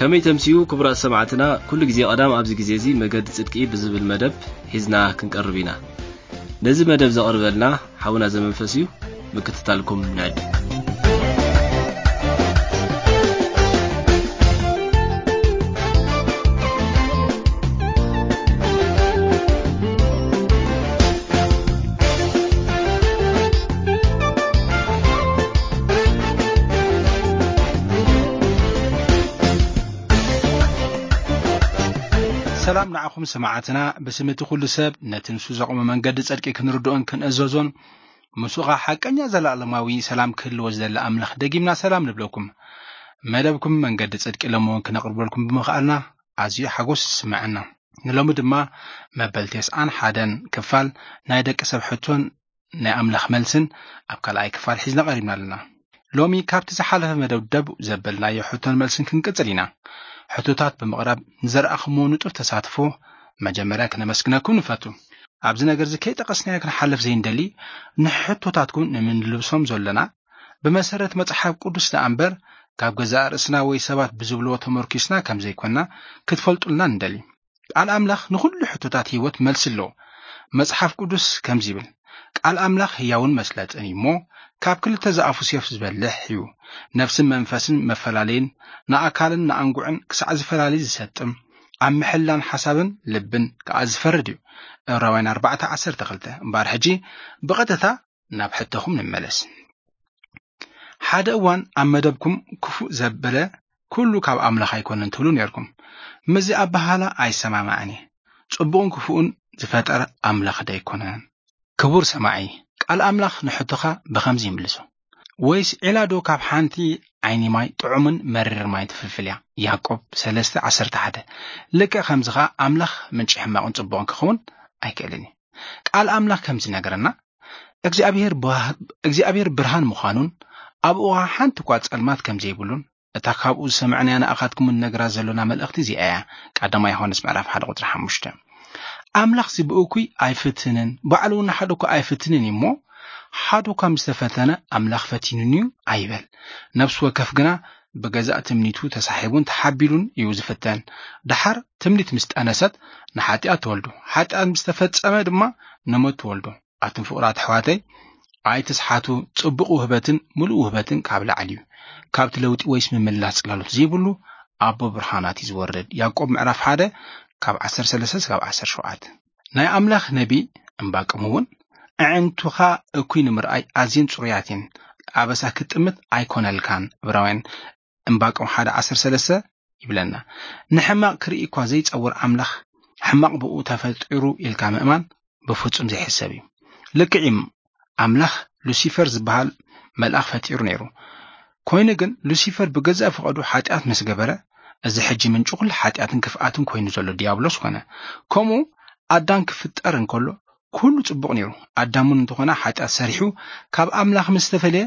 ከመይ ተምስዩ ክቡራት ሰማዕትና፣ ኩሉ ግዜ ቀዳም ኣብዚ ግዜ እዚ መገዲ ጽድቂ ብዝብል መደብ ሒዝና ክንቀርብ ኢና። ነዚ መደብ ዘቕርበልና ሓውና ዘመንፈስ እዩ። ምክትታልኩም ንዕድም። ሰላም ንዓኹም ሰማዕትና። ብስም እቲ ኩሉ ሰብ ነቲ ንሱ ዘቑመ መንገዲ ጽድቂ ክንርድኦን ክንእዘዞን፣ ምስኡ ኸኣ ሓቀኛ ዘለኣለማዊ ሰላም ክህልዎ ዝደሊ ኣምላኽ ደጊምና ሰላም ንብለኩም። መደብኩም መንገዲ ጽድቂ ሎሚ እውን ክነቕርበልኩም ብምኽኣልና ኣዝዩ ሓጎስ ይስምዐና። ንሎሚ ድማ መበል ተስዓን ሓደን ክፋል ናይ ደቂ ሰብ ሕቶን ናይ ኣምላኽ መልስን ኣብ ካልኣይ ክፋል ሒዝና ቀሪብና ኣለና። ሎሚ ካብቲ ዝሓለፈ መደብ ደብ ዘበልናዮ ሕቶን መልስን ክንቅጽል ኢና። ሕቶታት ብምቕራብ ንዘርኣኹምዎ ንጡፍ ተሳትፎ መጀመርያ ክነመስግነኩም ንፈቱ። ኣብዚ ነገር እዚ ከይጠቐስናዮ ክንሓልፍ ዘይንደሊ፣ ንሕቶታትኩም ንምንልብሶም ዘለና ብመሰረት መጽሓፍ ቅዱስ ደኣ እምበር፣ ካብ ገዛእ ርእስና ወይ ሰባት ብዝብልዎ ተመርኪስና ከም ዘይኮንና ክትፈልጡልና ንደሊ። ቃል ኣምላኽ ንኹሉ ሕቶታት ህይወት መልሲ ኣለዎ። መጽሓፍ ቅዱስ ከምዚ ይብል፣ "ቃል ኣምላኽ ህያውን መስለጥን እዩ እሞ፣ ካብ ክልተ ዝኣፉ ሴፍ ዝበልሕ እዩ። ነፍስን መንፈስን መፈላለይን፣ ንኣካልን ንኣንጉዕን ክሳዕ ዝፈላለይ ዝሰጥም፣ ኣብ ምሕላን ሓሳብን ልብን ከኣ ዝፈርድ እዩ።" ዕብራውያን ኣርባዕተ ዓሰርተ ክልተ። እምበኣር ሕጂ ብቐጥታ ናብ ሕቶኹም ንመለስ። ሓደ እዋን ኣብ መደብኩም ክፉእ ዘበለ ኩሉ ካብ ኣምላኽ ኣይኮነን ትብሉ ነርኩም። ምስዚ ኣበሃህላ ኣይሰማማዕን እየ። ጽቡቕን ክፉእን ዝፈጠረ ኣምላኽ ዶ ኣይኮነን? ክቡር ሰማዒ፣ ቃል ኣምላኽ ንሕቶኻ ብኸምዚ ይምልሶ። "ወይስ ዒላ ዶ ካብ ሓንቲ ዓይኒ ማይ ጥዑምን መሪር ማይ ትፍልፍል እያ?" ያዕቆብ ሰለስተ ዓሰርተ ሓደ። ልክዕ ከምዚ ኸኣ ኣምላኽ ምንጪ ሕማቕን ጽቡቕን ክኸውን ኣይክእልን እዩ። ቃል ኣምላኽ ከምዚ ይነግረና፣ እግዚኣብሔር ብሃ-፣ እግዚኣብሔር ብርሃን ምዃኑን ኣብኡ ኸኣ ሓንቲ እኳ ጸልማት ከም ዘይብሉን፣ እታ ካብኡ ዝሰማዕናያ ንኣኻትኩም ንነግራ ዘሎና መልእኽቲ እዚኣ እያ። ቀዳማይ ዮሃንስ ምዕራፍ ሓደ ቁጽሪ ሓሙሽተ። ኣምላኽ እዚ ብእኩይ ኣይፍትንን፣ ባዕሉ እውን ንሓደ እኳ ኣይፍትንን እዩ እሞ፣ ሓደ እኳ ምስ ተፈተነ ኣምላኽ ፈቲኑኒ እዩ ኣይበል። ነፍሲ ወከፍ ግና ብገዛእ ትምኒቱ ተሳሒቡን ተሓቢሉን እዩ ዝፍተን። ደሓር ትምኒት ምስ ጠነሰት ንሓጢኣት ትወልዶ፣ ሓጢኣት ምስ ተፈጸመ ድማ ንሞት ትወልዶ። ኣቱም ፍቑራት ኣሕዋተይ፣ ኣይትስሓቱ፣ ጽቡቕ ውህበትን ምሉእ ውህበትን ካብ ላዕሊ እዩ። ካብቲ ለውጢ ወይስ ምምላስ ጽላሎት ዘይብሉ ኣቦ ብርሃናት እዩ ዝወርድ። ያዕቆብ ምዕራፍ ሓደ ካብ ዓሰርተ ሰለስተ እስካብ ዓሰርተ ሸውዓተ። ናይ ኣምላኽ ነቢ እምባቆም እውን፣ "ኣዒንቱኻ እኩይ ንምርኣይ ኣዝየን ጽሩያት እየን፣ ኣበሳ ክትጥምት ኣይኮነልካን።" ዕብራውያን እምባቆም ሓደ ዓሰርተ ሰለስተ ይብለና። ንሕማቕ ክርኢ እኳ ዘይጸውር ኣምላኽ፣ ሕማቕ ብኡ ተፈጢሩ ኢልካ ምእማን ብፍጹም ዘይሕሰብ እዩ። ልክዕ እዩ፣ ኣምላኽ ሉሲፈር ዝበሃል መልኣኽ ፈጢሩ ነይሩ። ኮይኑ ግን ሉሲፈር ብገዛእ ፍቓዱ ሓጢኣት ምስ ገበረ፣ እዚ ሕጂ ምንጪ ኩሉ ሓጢኣትን ክፍኣትን ኮይኑ ዘሎ ዲያብሎስ ኮነ። ከምኡ ኣዳም ክፍጠር እንከሎ ኩሉ ጽቡቕ ነይሩ። ኣዳም እውን እንተኾነ ሓጢኣት ሰሪሑ ካብ ኣምላኽ ምስ ተፈልየ፣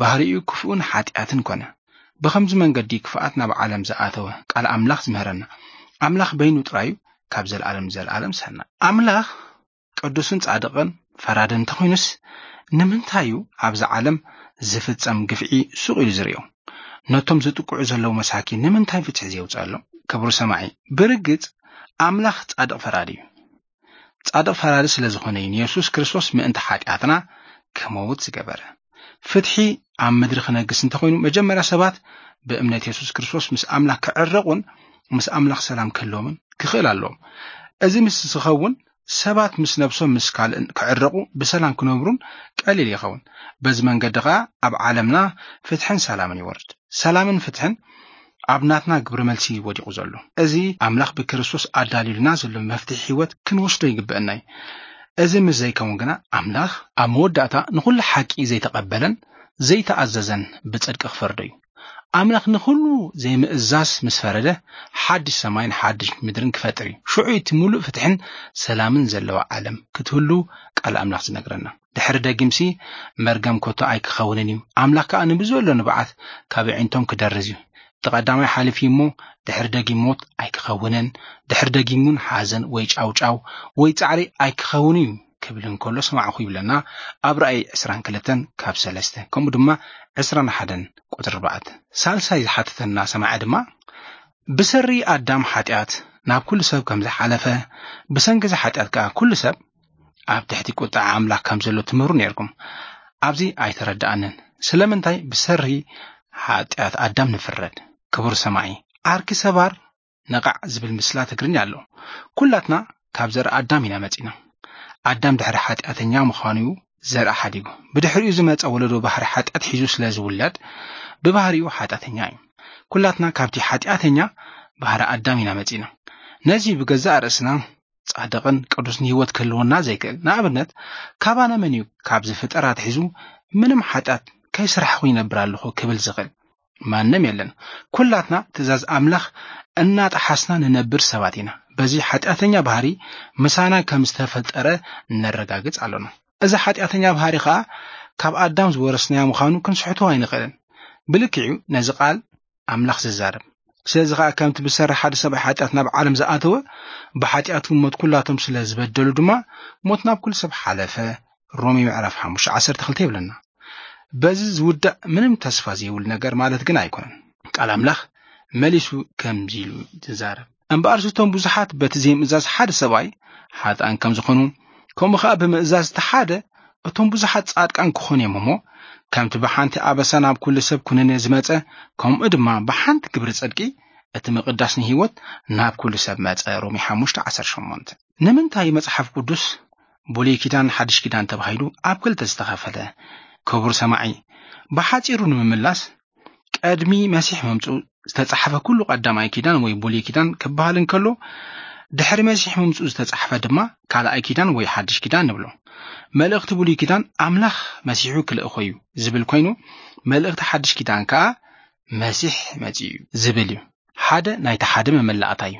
ባህሪኡ ክፉእን ሓጢኣትን ኮነ። ብኸምዚ መንገዲ ክፍኣት ናብ ዓለም ዝኣተወ ቃል ኣምላኽ ዝምህረና። ኣምላኽ በይኑ ጥራዩ ካብ ዘለኣለም ንዘለኣለም ሰናይ። ኣምላኽ ቅዱስን ጻድቕን ፈራድን እንተኾይኑስ፣ ንምንታይ እዩ ኣብዛ ዓለም ዝፍጸም ግፍዒ ሱቕ ኢሉ ዝርእዮ? ነቶም ዝጥቅዑ ዘለዉ መሳኪን ንምንታይ ፍትሒ ዘየውጽኣሎም? ክቡር ሰማዒ፣ ብርግጽ ኣምላኽ ጻድቕ ፈራዲ እዩ። ጻድቕ ፈራዲ ስለ ዝኾነ እዩ ንየሱስ ክርስቶስ ምእንቲ ሓጢኣትና ክመውት ዝገበረ። ፍትሒ ኣብ ምድሪ ክነግስ እንተኾይኑ፣ መጀመርያ ሰባት ብእምነት የሱስ ክርስቶስ ምስ ኣምላኽ ክዕረቑን ምስ ኣምላኽ ሰላም ክህልዎምን ክኽእል ኣለዎም። እዚ ምስ ዝኸውን፣ ሰባት ምስ ነብሶም ምስ ካልእን ክዕረቑ፣ ብሰላም ክነብሩን ቀሊል ይኸውን። በዚ መንገዲ ኸኣ ኣብ ዓለምና ፍትሕን ሰላምን ይወርድ። ሰላምን ፍትሕን ኣብ ናትና ግብረ መልሲ ወዲቑ ዘሎ። እዚ ኣምላኽ ብክርስቶስ ኣዳልዩልና ዘሎ መፍትሒ ህይወት ክንወስዶ ይግበአና እዩ። እዚ ምስ ዘይከውን ግና፣ ኣምላኽ ኣብ መወዳእታ ንኹሉ ሓቂ ዘይተቐበለን ዘይተኣዘዘን ብጽድቂ ክፈርዶ እዩ። ኣምላኽ ንኹሉ ዘይምእዛዝ ምስ ፈረደ፣ ሓድሽ ሰማይን ሓድሽ ምድርን ክፈጥር እዩ። ሽዑ እቲ ምሉእ ፍትሕን ሰላምን ዘለዋ ዓለም ክትህሉ ቃል ኣምላኽ ዝነግረና። ድሕሪ ደጊምሲ መርገም ኮቶ ኣይክኸውንን እዩ። ኣምላኽ ከኣ ንብዘሎ ንብዓት ካብ ኣዒንቶም ክደርዝ እዩ። እቲ ቀዳማይ ሓሊፉ እሞ ድሕሪ ደጊም ሞት ኣይክኸውንን፣ ድሕሪ ደጊም እውን ሓዘን ወይ ጫውጫው ወይ ጻዕሪ ኣይክኸውን እዩ ክብል እንከሎ ሰማዕኹ ይብለና ኣብ ራእይ ዕስራን ክልተን ካብ ሰለስተ፣ ከምኡ ድማ ዕስራን ሓደን ቁጽሪ ኣርባዕተ። ሳልሳይ ዝሓተተና ሰማዒ ድማ ብሰሪ ኣዳም ሓጢኣት ናብ ኩሉ ሰብ ከም ዝሓለፈ፣ ብሰንኪ እዚ ሓጢኣት ከኣ ኩሉ ሰብ ኣብ ትሕቲ ቁጥዓ ኣምላኽ ከም ዘሎ ትምህሩ ነርኩም። ኣብዚ ኣይተረዳኣንን። ስለምንታይ ብሰሪ ሓጢኣት ኣዳም ንፍረድ? ክቡር ሰማዒ፣ ዓርኪ ሰባር ነቓዕ ዝብል ምስላ ትግርኛ ኣሎ። ኩላትና ካብ ዘር ኣዳም ኢና መጺና። ኣዳም ድሕሪ ሓጢኣተኛ ምዃኑ እዩ ዘር ሓዲጉ። ብድሕሪኡ ዝመጸ ወለዶ ባህሪ ሓጢኣት ሒዙ ስለ ዝውለድ ብባህሪኡ ሓጢኣተኛ እዩ። ኩላትና ካብቲ ሓጢኣተኛ ባህሪ ኣዳም ኢና መጺና። ነዚ ብገዛእ ርእስና ጻድቕን ቅዱስን ህይወት ክህልወና ዘይክእል። ንኣብነት፣ ካባና መን እዩ ካብ ዝፍጠር ኣትሒዙ ምንም ሓጢኣት ከይስራሕኹ ይነብር ኣለኹ ክብል ዝኽእል? ማንም የለን። ኩላትና ትእዛዝ ኣምላኽ እናጠሓስና ንነብር ሰባት ኢና። በዚ ሓጢኣተኛ ባህሪ ምሳና ከም ዝተፈጠረ ነረጋግጽ ኣሎና። እዚ ሓጢኣተኛ ባህሪ ኸኣ ካብ ኣዳም ዝወረስናዮ ምዃኑ ክንስሕቶ ኣይንኽእልን። ብልክዑ ነዚ ቃል ኣምላኽ ዝዛረብ። ስለዚ ኸኣ ከምቲ ብሰሪ ሓደ ሰብኣይ ሓጢኣት ናብ ዓለም ዝኣተወ፣ ብሓጢኣቱ ሞት ኩላቶም ስለ ዝበደሉ ድማ ሞት ናብ ኩሉ ሰብ ሓለፈ። ሮሜ ምዕራፍ ሓሙሽተ ዓሰርተ ክልተ ይብለና። በዚ ዝውዳእ ምንም ተስፋ ዘይብሉ ነገር ማለት ግን ኣይኮነን። ቃል ኣምላኽ መሊሱ ከምዚ ኢሉ ይዛረብ። እምበኣርስ እቶም ብዙሓት በቲ ዘይምእዛዝ ሓደ ሰብኣይ ሓጥኣን ከም ዝኾኑ፣ ከምኡ ኸኣ ብምእዛዝ እቲ ሓደ እቶም ብዙሓት ጻድቃን ክኾኑ እዮም እሞ፣ ከምቲ ብሓንቲ ኣበሳ ናብ ኩሉ ሰብ ኩነኔ ዝመጸ፣ ከምኡ ድማ ብሓንቲ ግብሪ ጽድቂ እቲ ምቕዳስ ንህይወት ናብ ኩሉ ሰብ መጸ። ሮሜ ሓሙሽተ ዓሰርተ ሸሞንተ። ንምንታይ መጽሓፍ ቅዱስ ብሉይ ኪዳን ሓድሽ ኪዳን ተባሂሉ ኣብ ክልተ ዝተኸፈለ? ክቡር ሰማዒ፣ ብሓጺሩ ንምምላስ፣ ቀድሚ መሲሕ ምምጽኡ ዝተጻሕፈ ኩሉ ቀዳማይ ኪዳን ወይ ብሉይ ኪዳን ክበሃል እንከሎ፣ ድሕሪ መሲሕ ምምጽኡ ዝተጻሕፈ ድማ ካልኣይ ኪዳን ወይ ሓድሽ ኪዳን ንብሎ። መልእኽቲ ብሉይ ኪዳን ኣምላኽ መሲሑ ክልእኾ እዩ ዝብል ኮይኑ፣ መልእኽቲ ሓድሽ ኪዳን ከኣ መሲሕ መጺኡ እዩ ዝብል እዩ። ሓደ ናይቲ ሓደ መመላእታ እዩ።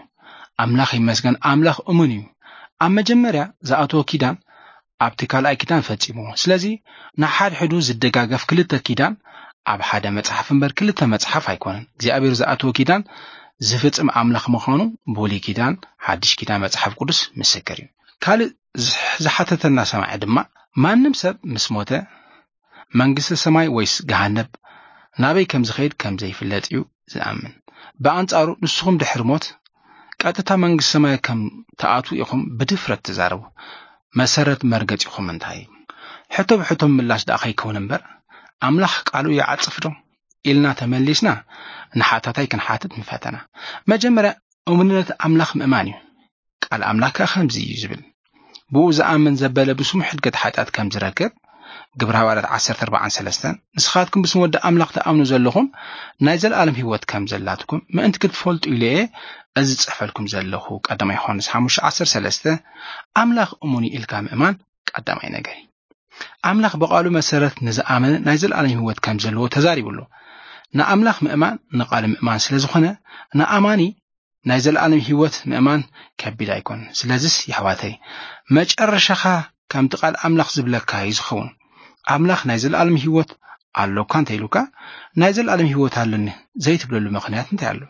ኣምላኽ ይመስገን፣ ኣምላኽ እሙን እዩ። ኣብ መጀመርያ ዝኣተወ ኪዳን ኣብቲ ካልኣይ ኪዳን ፈጺሙ። ስለዚ ንሓድሕዱ ዝደጋገፍ ክልተ ኪዳን ኣብ ሓደ መጽሓፍ እምበር ክልተ መጽሓፍ ኣይኮነን። እግዚኣብሔር ዝኣተወ ኪዳን ዝፍጽም ኣምላኽ ምዃኑ ብሉይ ኪዳን፣ ሓድሽ ኪዳን መጽሓፍ ቅዱስ ምስክር እዩ። ካልእ ዝሕ-፣ ዝሓተተና ሰማዒ ድማ፣ ማንም ሰብ ምስ ሞተ መንግስተ ሰማይ ወይስ ገሃነብ ናበይ ከም ዝኸይድ ከም ዘይፍለጥ እዩ ዝኣምን። ብኣንጻሩ ንስኹም ድሕሪ ሞት ቀጥታ መንግስተ ሰማይ ከም ትኣትዉ ኢኹም ብድፍረት ትዛረቡ። መሰረት መርገጺኹም እንታይ እዩ? ሕቶ ብሕቶ ምላሽ ደኣ ከይከውን እምበር፣ ኣምላኽ ቃሉ ይዓጽፍ ዶ? ኢልና ተመሊስና ንሓታታይ ክንሓትት ንፈተና። መጀመርያ እሙንነት ኣምላኽ ምእማን እዩ። ቃል ኣምላኽ ከኣ ከምዚ እዩ ዝብል፣ ብኡ ዝኣምን ዘበለ ብስሙ ሕድገት ሓጢኣት ከም ዝረክብ፣ ግብረ ሃዋርያት ዓሰርተ ኣርባዓን ሰለስተን። ንስኻትኩም ብስም ወዲ ኣምላኽ ትኣምኑ ዘለኹም ናይ ዘለኣለም ህይወት ከም ዘላትኩም ምእንቲ ክትፈልጡ ኢለ እየ እዚ ዝጽሕፈልኩም ዘለኹ። ቀዳማይ ዮሃንስ ሓሙሽተ ዓሰርተ ሰለስተ። ኣምላኽ እሙን እዩ ኢልካ ምእማን ቀዳማይ ነገር እዩ። ኣምላኽ ብቓሉ መሰረት ንዝኣመነ ናይ ዘለኣለም ህይወት ከም ዘለዎ ተዛሪቡ ኣሎ። ንኣምላኽ ምእማን ንቓሉ ምእማን ስለ ዝኾነ፣ ንኣማኒ ናይ ዘለኣለም ህይወት ምእማን ከቢድ ኣይኮን። ስለዚስ የሕዋተይ፣ መጨረሻኻ ከምቲ ቃል ኣምላኽ ዝብለካ እዩ ዝኸውን። ኣምላኽ ናይ ዘለኣለም ህይወት ኣሎካ እንተ ኢሉካ፣ ናይ ዘለኣለም ህይወት ኣለኒ ዘይትብለሉ ምኽንያት እንታይ ኣሎ?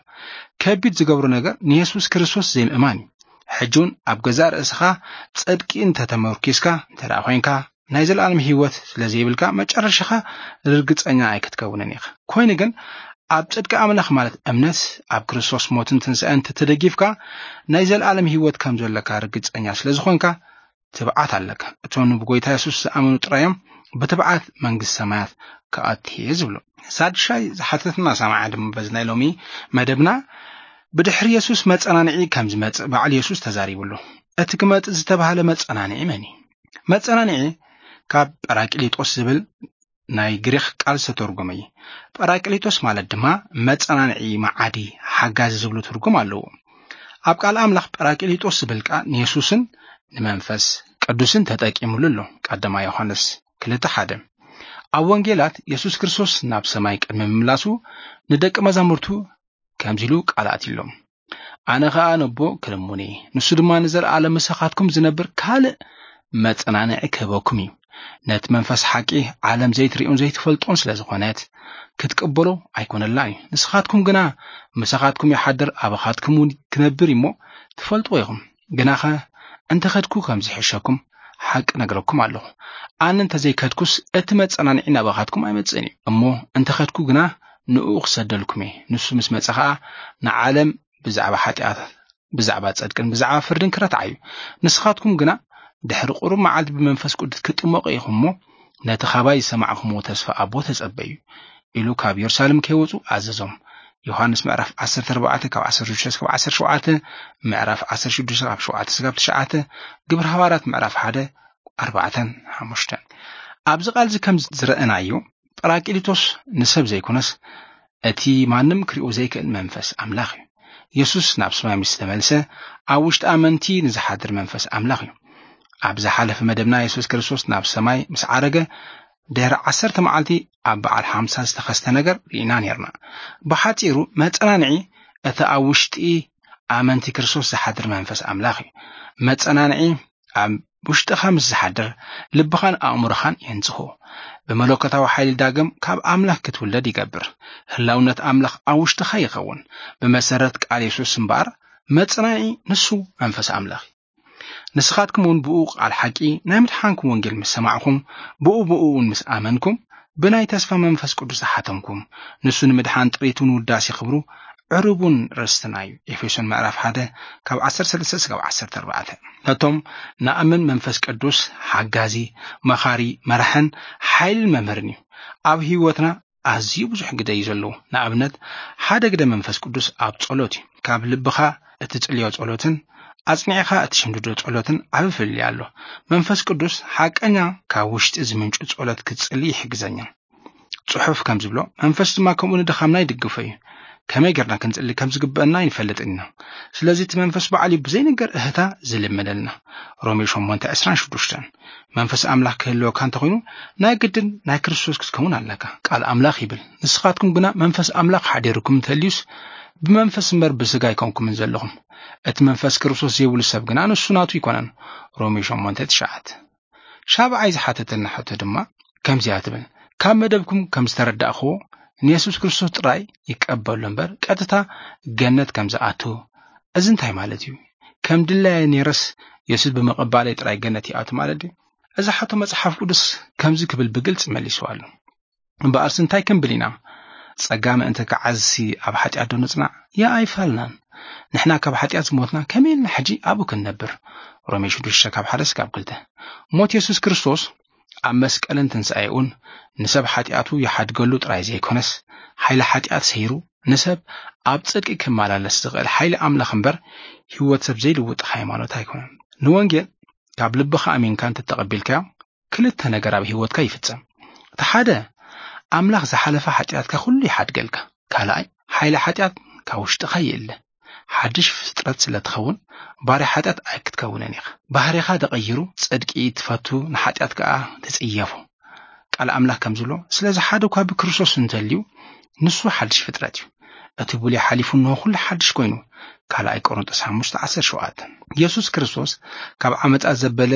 ከቢድ ዝገብሮ ነገር ንየሱስ ክርስቶስ ዘይምእማን እዩ። ሕጂ እውን ኣብ ገዛእ ርእስኻ ጽድቂ እንተ ተመርኪስካ እንተ ደኣ ኮይንካ፣ ናይ ዘለኣለም ህይወት ስለ ዘይብልካ፣ መጨረሻኻ ርግጸኛ ኣይክትከውንን ኢኻ። ኮይኑ ግን፣ ኣብ ጽድቂ ኣምላኽ ማለት እምነት፣ ኣብ ክርስቶስ ሞትን ትንሳኤን እንተ ተደጊፍካ፣ ናይ ዘለኣለም ህይወት ከም ዘለካ ርግጸኛ ስለ ዝኾንካ፣ ትብዓት ኣለካ። እቶም ብጎይታ የሱስ ዝኣመኑ ጥራይ እዮም ብትብዓት መንግስቲ ሰማያት ክኣትዉ ዝብሉ። ሳድሻይ ዝሓተትና ሰማዓ ድማ በዚ ናይ ሎሚ መደብና፣ ብድሕሪ የሱስ መጸናንዒ ከም ዝመጽእ በዓል የሱስ ተዛሪቡ ኣሎ። እቲ ክመጽእ ዝተባህለ መጸናንዒ መን እዩ? መጸናንዒ ካብ ጳራቅሊጦስ ዝብል ናይ ግሪኽ ቃል ዝተተርጎመ እዩ። ጳራቅሊጦስ ማለት ድማ መጸናንዒ፣ መዓዲ፣ ሓጋዚ ዝብሉ ትርጉም ኣለዎ። ኣብ ቃል ኣምላኽ ጳራቅሊጦስ ዝብል ቃል ንየሱስን ንመንፈስ ቅዱስን ተጠቂሙሉ ኣሎ። ቀዳማይ ዮሃንስ ክልተ ሓደ። ኣብ ወንጌላት የሱስ ክርስቶስ ናብ ሰማይ ቅድሚ ምምላሱ ንደቂ መዛሙርቱ ከምዚ ኢሉ ቃል ኣትዩሎም፣ "ኣነ ኸኣ ነቦ ክልሙን እየ፣ ንሱ ድማ ንዘለኣለም ምሳኻትኩም ዝነብር ካልእ መጸናንዒ ክህበኩም እዩ። ነቲ መንፈስ ሓቂ ዓለም ዘይትርእዮን ዘይትፈልጦን ስለ ዝኾነት ክትቅበሎ ኣይኮነላ እዩ። ንስኻትኩም ግና ምሳኻትኩም ይሓድር፣ ኣባኻትኩም እውን ክነብር እዩ እሞ ትፈልጥዎ ኢኹም። ግናኸ እንተ ኸድኩ ከም ዝሕሸኩም ሓቂ ነግረኩም ኣለኹ። ኣነ እንተ ዘይከድኩስ እቲ መጸናንዒ ናባኻትኩም ኣይመጽእን እዩ። እሞ እንተ ኸድኩ ግና ንእኡ ክሰደልኩም እየ። ንሱ ምስ መጸ ኸኣ ንዓለም ብዛዕባ ሓጢኣት፣ ብዛዕባ ጽድቅን ብዛዕባ ፍርድን ክረትዓ እዩ። ንስኻትኩም ግና ድሕሪ ቁሩብ መዓልቲ ብመንፈስ ቅዱስ ክትጥመቑ ኢኹም እሞ፣ ነቲ ኻባይ ዝሰማዕኹምዎ ተስፋ ኣቦ ተጸበዩ፣ ኢሉ ካብ የሩሳሌም ከይወጹ ኣዘዞም። ዮሃንስ ምዕራፍ ዓሰርተ ኣርባዕተ ካብ ዓሰርተ ሽዱሽተ እስካብ ዓሰርተ ሸውዓተ፣ ምዕራፍ ዓሰርተ ሽዱሽተ ካብ ሸውዓተ እስካብ ትሽዓተ፣ ግብሪ ሃዋርያት ምዕራፍ ሓደ ኣርባዕተን ሓሙሽተን። ኣብዚ ቃል እዚ ከም ዝረኣናዮ፣ ጳራቅሊጦስ ንሰብ ዘይኮነስ፣ እቲ ማንም ክሪኦ ዘይክእል መንፈስ ኣምላኽ እዩ። የሱስ ናብ ሰማይ ምስ ተመልሰ፣ ኣብ ውሽጢ ኣመንቲ ንዝሓድር መንፈስ ኣምላኽ እዩ። ኣብ ዝሓለፈ መደብና፣ የሱስ ክርስቶስ ናብ ሰማይ ምስ ዓረገ፣ ድሕሪ ዓሰርተ መዓልቲ ኣብ በዓል ሓምሳ ዝተኸስተ ነገር ርኢና ኔርና። ብሓጺሩ፣ መጸናንዒ እቲ ኣብ ውሽጢ ኣመንቲ ክርስቶስ ዝሓድር መንፈስ ኣምላኽ እዩ። መጸናንዒ ኣብ ውሽጥኻ ምስ ዝሓድር፣ ልብኻን ኣእምሮኻን የንጽሆ። ብመለኮታዊ ሓይሊ ዳግም ካብ ኣምላኽ ክትውለድ ይገብር። ህላውነት ኣምላኽ ኣብ ውሽጥኻ ይኸውን። ብመሰረት ቃል የሱስ እምበኣር፣ መጸናንዒ ንሱ መንፈስ ኣምላኽ እዩ። ንስኻትኩም እውን ብኡ ቃል ሓቂ ናይ ምድሓንኩም ወንጌል ምስ ሰማዕኹም፣ ብኡ ብኡ እውን ምስ ኣመንኩም፣ ብናይ ተስፋ መንፈስ ቅዱስ ዝሓተምኩም፣ ንሱ ንምድሓን ጥሪቱን ውዳሴ ክብሩ ዕሩቡን ርስትና እዩ። ኤፌሶን ምዕራፍ ሓደ ካብ ዓሰርተ ሰለስተ እስካብ ዓሰርተ ኣርባዕተ። ነቶም ንኣምን መንፈስ ቅዱስ ሓጋዚ፣ መኻሪ፣ መራሕን ሓይልን መምህርን እዩ። ኣብ ህይወትና ኣዝዩ ብዙሕ ግደ እዩ ዘለዎ። ንኣብነት፣ ሓደ ግደ መንፈስ ቅዱስ ኣብ ጸሎት እዩ። ካብ ልብኻ እትጽልዮ ጸሎትን ኣጽኒዕኻ እትሽምድዶ ጸሎትን ዓቢ ፍልልይ ኣሎ። መንፈስ ቅዱስ ሓቀኛ ካብ ውሽጢ ዝምንጩ ጸሎት ክትጽሊ ይሕግዘኛ። ጽሑፍ ከም ዝብሎ፣ መንፈስ ድማ ከምኡ ንድኻምና ይድግፎ እዩ። ከመይ ጌርና ክንጽሊ ከም ዝግበአና ኣይንፈልጥን ኢና። ስለዚ እቲ መንፈስ ባዕሉ እዩ ብዘይንገር እህታ ዝልምነልና። ሮሜ ሸሞንተ ዕስራን ሽዱሽተን። መንፈስ ኣምላኽ ክህልወካ እንተኾይኑ፣ ናይ ግድን ናይ ክርስቶስ ክትከውን ኣለካ። ቃል ኣምላኽ ይብል፣ "ንስኻትኩም ግና መንፈስ ኣምላኽ ሓዲርኩም እንተልዩስ፣ ብመንፈስ እምበር ብስጋ ኣይኮንኩምን ዘለኹም። እቲ መንፈስ ክርስቶስ ዘይብሉ ሰብ ግና ንሱ ናቱ ኣይኮነን።" ሮሜ ሸሞንተ ትሽዓተ። ሻብዓይ ዝሓተተልና ሕቶ ድማ ከምዚኣ ትብል፣ ካብ መደብኩም ከም ዝተረዳእኽዎ፣ ንየሱስ ክርስቶስ ጥራይ ይቀበሎ እምበር ቀጥታ ገነት ከም ዝኣቱ፣ እዚ እንታይ ማለት እዩ? ከም ድላየ ነይረስ የሱስ ብምቕባለይ ጥራይ ገነት ይኣቱ ማለት ድዩ? እዚ ሕቶ መጽሓፍ ቅዱስ ከምዚ ክብል ብግልጺ መሊስዋ ኣሎ። እምበኣርስ እንታይ ክንብል ኢና? ጸጋ ምእንቲ ክዓዝሲ ኣብ ሓጢኣት ዶ ንጽናዕ? የኣይፋልናን። ንሕና ካብ ሓጢኣት ዝሞትና ከመይ ኢልና ሕጂ ኣብኡ ክንነብር? ሮሜ ሽዱሽተ ካብ ሓደ እስካብ ክልተ። ሞት የሱስ ክርስቶስ ኣብ መስቀልን ትንሳኤኡን ንሰብ ሓጢኣቱ ይሓድገሉ ጥራይ ዘይኮነስ፣ ሓይሊ ሓጢኣት ሰይሩ ንሰብ ኣብ ጽድቂ ክመላለስ ዝኽእል ሓይሊ ኣምላኽ እምበር፣ ህይወት ሰብ ዘይልውጥ ሃይማኖት ኣይኮነን። ንወንጌል ካብ ልብኻ ኣሚንካ እንተተቐቢልካዮ፣ ክልተ ነገር ኣብ ህይወትካ ይፍጸም። እቲ ሓደ፣ ኣምላኽ ዝሓለፈ ሓጢኣትካ ኩሉ ይሓድገልካ። ካልኣይ፣ ሓይሊ ሓጢኣት ካብ ውሽጥኻ ይእለ። ሓድሽ ፍጥረት ስለ ትኸውን፣ ባርያ ሓጢኣት ኣይክትከውንን ኢኻ። ባህሪኻ ተቐይሩ፣ ጽድቂ ትፈቱ፣ ንሓጢኣት ከኣ ትጽየፎ። ቃል ኣምላኽ ከም ዝብሎ፣ "ስለዚ ሓደ እኳ ብክርስቶስ እንተልዩ፣ ንሱ ሓድሽ ፍጥረት እዩ። እቲ ብሉይ ሓሊፉ፣ እንሆ ኩሉ ሓድሽ ኮይኑ።" ካልኣይ ቆሮንጦስ ሓሙሽተ ዓሰርተ ሸውዓተ። የሱስ ክርስቶስ ካብ ዓመጻ ዘበለ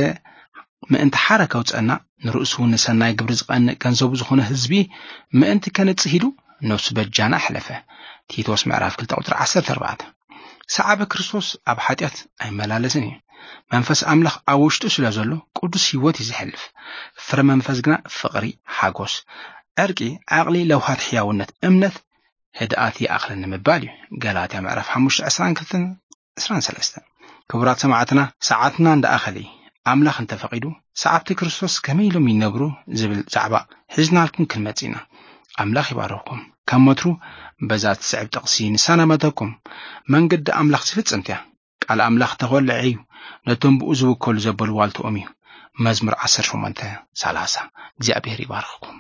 ምእንቲ ሓራ ከውጸና፣ ንርእሱ እውን ንሰናይ ግብሪ ዝቐንእ ገንዘቡ ዝኾነ ህዝቢ ምእንቲ ከንጽህ ኢሉ ነፍሱ በጃና ኣሕለፈ። ቲቶስ ምዕራፍ ክልተ ቁጽሪ ዓሰርተ ኣርባዕተ። ሰዓቢ ክርስቶስ ኣብ ሓጢኣት ኣይመላለስን እዩ። መንፈስ ኣምላኽ ኣብ ውሽጡ ስለ ዘሎ ቅዱስ ህይወት እዩ ዘሕልፍ። ፍረ መንፈስ ግና ፍቕሪ፣ ሓጎስ፣ ዕርቂ፣ ዓቕሊ፣ ለውሃት፣ ሕያውነት፣ እምነት፣ ህድኣት ይኣኽለኒ ምባል እዩ። ገላትያ ምዕራፍ ሓሙሽተ ዕስራን ክልተን ዕስራን ሰለስተን። ክቡራት ሰማዕትና፣ ሰዓትና እንዳኣኸለ እዩ። ኣምላኽ እንተፈቒዱ፣ ሰዓብቲ ክርስቶስ ከመይ ኢሎም ይነብሩ ዝብል ዛዕባ ሒዝናልኩም ክንመጽእ ኢና። ኣምላኽ ይባርኽኩም። ከም ወትሩ በዛ ትስዕብ ጥቕሲ ንሰናበተኩም። መንገዲ ኣምላኽ ዝፍጽምት እያ። ቃል ኣምላኽ ተኾልዐ እዩ፣ ነቶም ብኡ ዝውከሉ ዘበሉ ዋልትኦም እዩ። መዝሙር ዓሰርተ ሸሞንተ ሰላሳ። እግዚኣብሔር ይባርኽኩም።